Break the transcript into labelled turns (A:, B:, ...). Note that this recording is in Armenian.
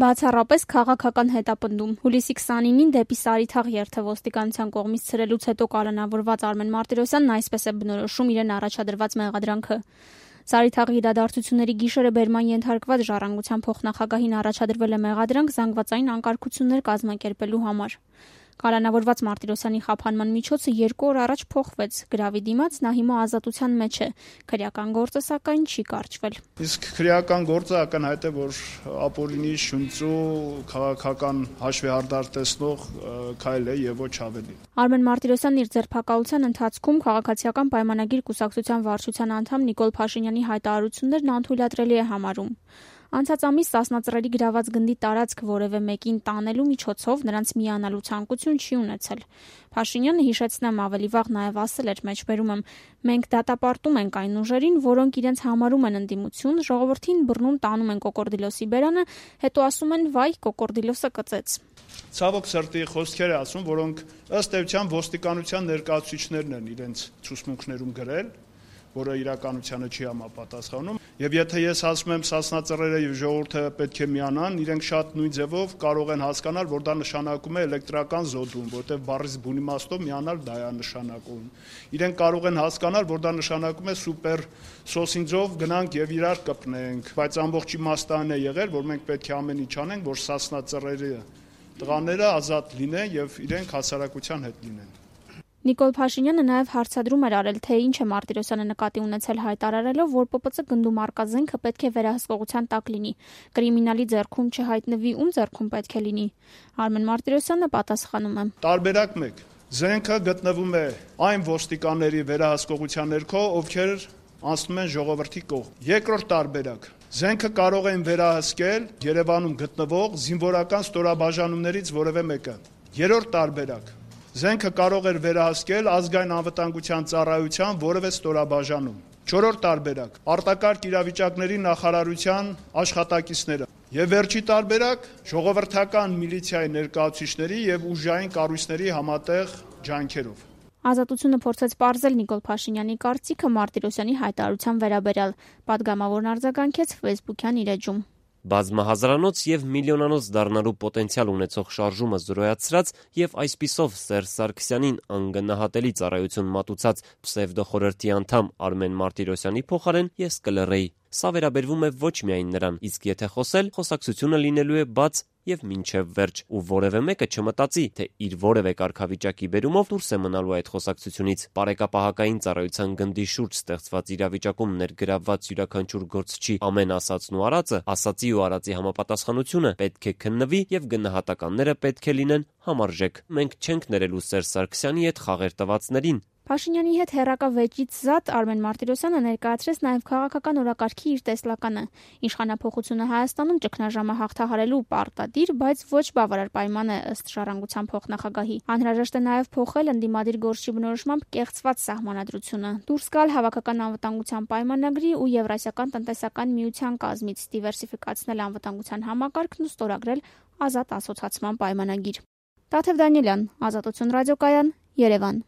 A: Բացառապես քաղաքական հետապնդում։ Հուլիսի 29-ին դեպի Սարիթաղ երթը ոստիկանության կողմից ցրելուց հետո կալանավորված Արմեն Մարտիրոսյանն այսպես է բնորոշում իրեն առաջադրված մեղադրանքը։ Սարիթաղի իրադարձությունների գիշերը բերման ենթարկված Ժառանգության փոխնախագահին առաջադրվել է մեղադրանք զանգվածային անկարգություններ կազմակերպելու համար։ Կալանավորված Մարտիրոսյանի խափանման միջոցը 2 օր առաջ փոխվեց։ Գրավի դիմաց նա հիմա ազատության մեջ է։ Քրեական գործը սակայն չի կարճվել։
B: Իսկ քրեական գործը ակնհայտ է, որ ապօրինի շնչու քաղաքական հաշվեհարդար տեսնող քայլ է եւ ոչ ավելի։
A: Արմեն Մարտիրոսյանն իր ձերբակալության ընթացքում քաղաքացիական պայմանագիր կուսակցության վարչության անդամ Նիկոլ Փաշինյանի հայտարարություններն անթույլատրելի է համարում։ Անցած ամիս Սասնածռերի գրաված գնդի տարածք որևէ մեկին տանելու միջոցով նրանց միանալու ցանկություն չի ունեցել։ Փաշինյանը, հիշեցնեմ, ավելի վաղ նաև ասել էր մեջբերում եմ. մենք դատապարտում ենք այն ուժերին, որոնք իրենց համարում են ընդդիմություն, ժողովրդին բռնում տանում են կոկորդիլոսի բերանը, հետո ասում են վայ կոկորդիլոսը կծեց։
B: Ցավոք սրտի խոսքեր է ասում, որոնք ըստ էության ոստիկանության ներկայացուցիչներն են իրենց ցուցմունքներում գրել, որը իրականությանը չի համապատասխանում, եւ եթե ես ասում եմ Սասնածռերը եւ ժողովուրդը պետք է միանան, իրենք շատ նույն ձևով կարող են հասկանալ, որ դա նշանակում է էլեկտրական զոդում, որտեղ բառից բուն իմաստով միանալ դա է նշանակում։ Իրենք կարող են հասկանալ, որ դա նշանակում է սուպեր սոսինձով գնանք եւ իրար կպնենք, բայց ամբողջ իմաստն է եղել, որ մենք պետք է ամեն ինչ անենք, որ Սասնածռերի տղաները ազատ լինեն եւ իրենք հասարակության հետ լինեն։
A: Նիկոլ Փաշինյանը նաև հարցադրում էր արել, թե ինչ է Մարտիրոսյանը նկատի ունեցել հայտարարելով, որ ՊՊՑ գնդում առկա զենքը պետք է վերահսկողության տակ լինի։ Կրիմինալի ձեռքում չհայտնվի, ում ձեռքում պետք է լինի։ Արմեն Մարտիրոսյանը պատասխանում է.
B: Տարբերակ 1. Զենքը գտնվում է այն ոստիկանների վերահսկողության ներքո, ովքեր անցնում են ժողովրդի կողմ։ Երկրորդ տարբերակ. Զենքը կարող են վերահսկել Երևանում գտնվող զինվորական ստորաբաժանումներից որևէ մեկը։ Երրորդ տարբերակ. Զենքը կարող էր վերահսկել ազգային անվտանգության ծառայության որևէ ստորաբաժանում։ Չորրորդ տարբերակ. արտակարգ իրավիճակների նախարարության աշխատակիցները։ Եվ վերջի տարբերակ ժողովրդական միլիցիայի ներկայացուցիչների եւ ուժային կառույցների համատեղ ջանքերով։
A: Ազատությունը փորձեց պարզել Նիկոլ Փաշինյանի կարծիքը Մարտիրոսյանի հայտարարության վերաբերյալ։ Պատգամավորն արձագանքեց Facebook-յան իր էջում։
C: Բազմահազարանոց եւ միլիոնանոց դառնալու պոտենցիալ ունեցող շարժումը զրոյացրած եւ այսպիսով Սերժ Սարգսյանին անգնահատելի ծառայություն մատուցած պսևդոխորհրդի անդամ Արմեն Մարտիրոսյանի փոխարեն ես կլռեի։ Սա վերաբերվում է ոչ միայն նրան, իսկ եթե խոսել, խոսակցությունը լինելու է բաց եւ մինչեւ վերջ, ու որևէ մեկը չմտածի, թե իր որևէ կարգավիճակի բերումով դուրս է մնալու այդ խոսակցությունից։ Պարեկապահակային ծառայության գնդի շուրջ ստեղծված իրավիճակում ներգրավված յուրաքանչյուր գործչի ամեն ասածն ու արածը, ասածի ու արածի համապատասխանությունը պետք է քննվի եւ գնահատականները պետք է լինեն համարժեք։ Մենք չենք ներելու Սերժ Սարգսյանի հետ խաղեր տվածներին։
A: Փաշինյանի հետ հեռակա-վեճից զատ Արմեն Մարտիրոսյանը ներկայացրեց նաև քաղաքական օրակարգի իր տեսլականը։ Իշխանափոխությունը Հայաստանում ճգնաժամը հաղթահարելու պարտադիր, բայց ոչ բավարար պայման է ըստ Ժառանգության փոխնախագահի։ Անհրաժեշտ է նաև փոխել ընդդիմադիր գործչի բնորոշմամբ կեղծված սահմանադրությունը, դուրս գալ հավաքական անվտանգության պայմանագրի ու Եվրասիական տնտեսական միության կազմից, դիվերսիֆիկացնել անվտանգության համակարգն ու ստորագրել ազատ ասոցացման պայմանագիր։ Տաթև Դանիելյան, Ազատություն ռադիոկայան, Երևան։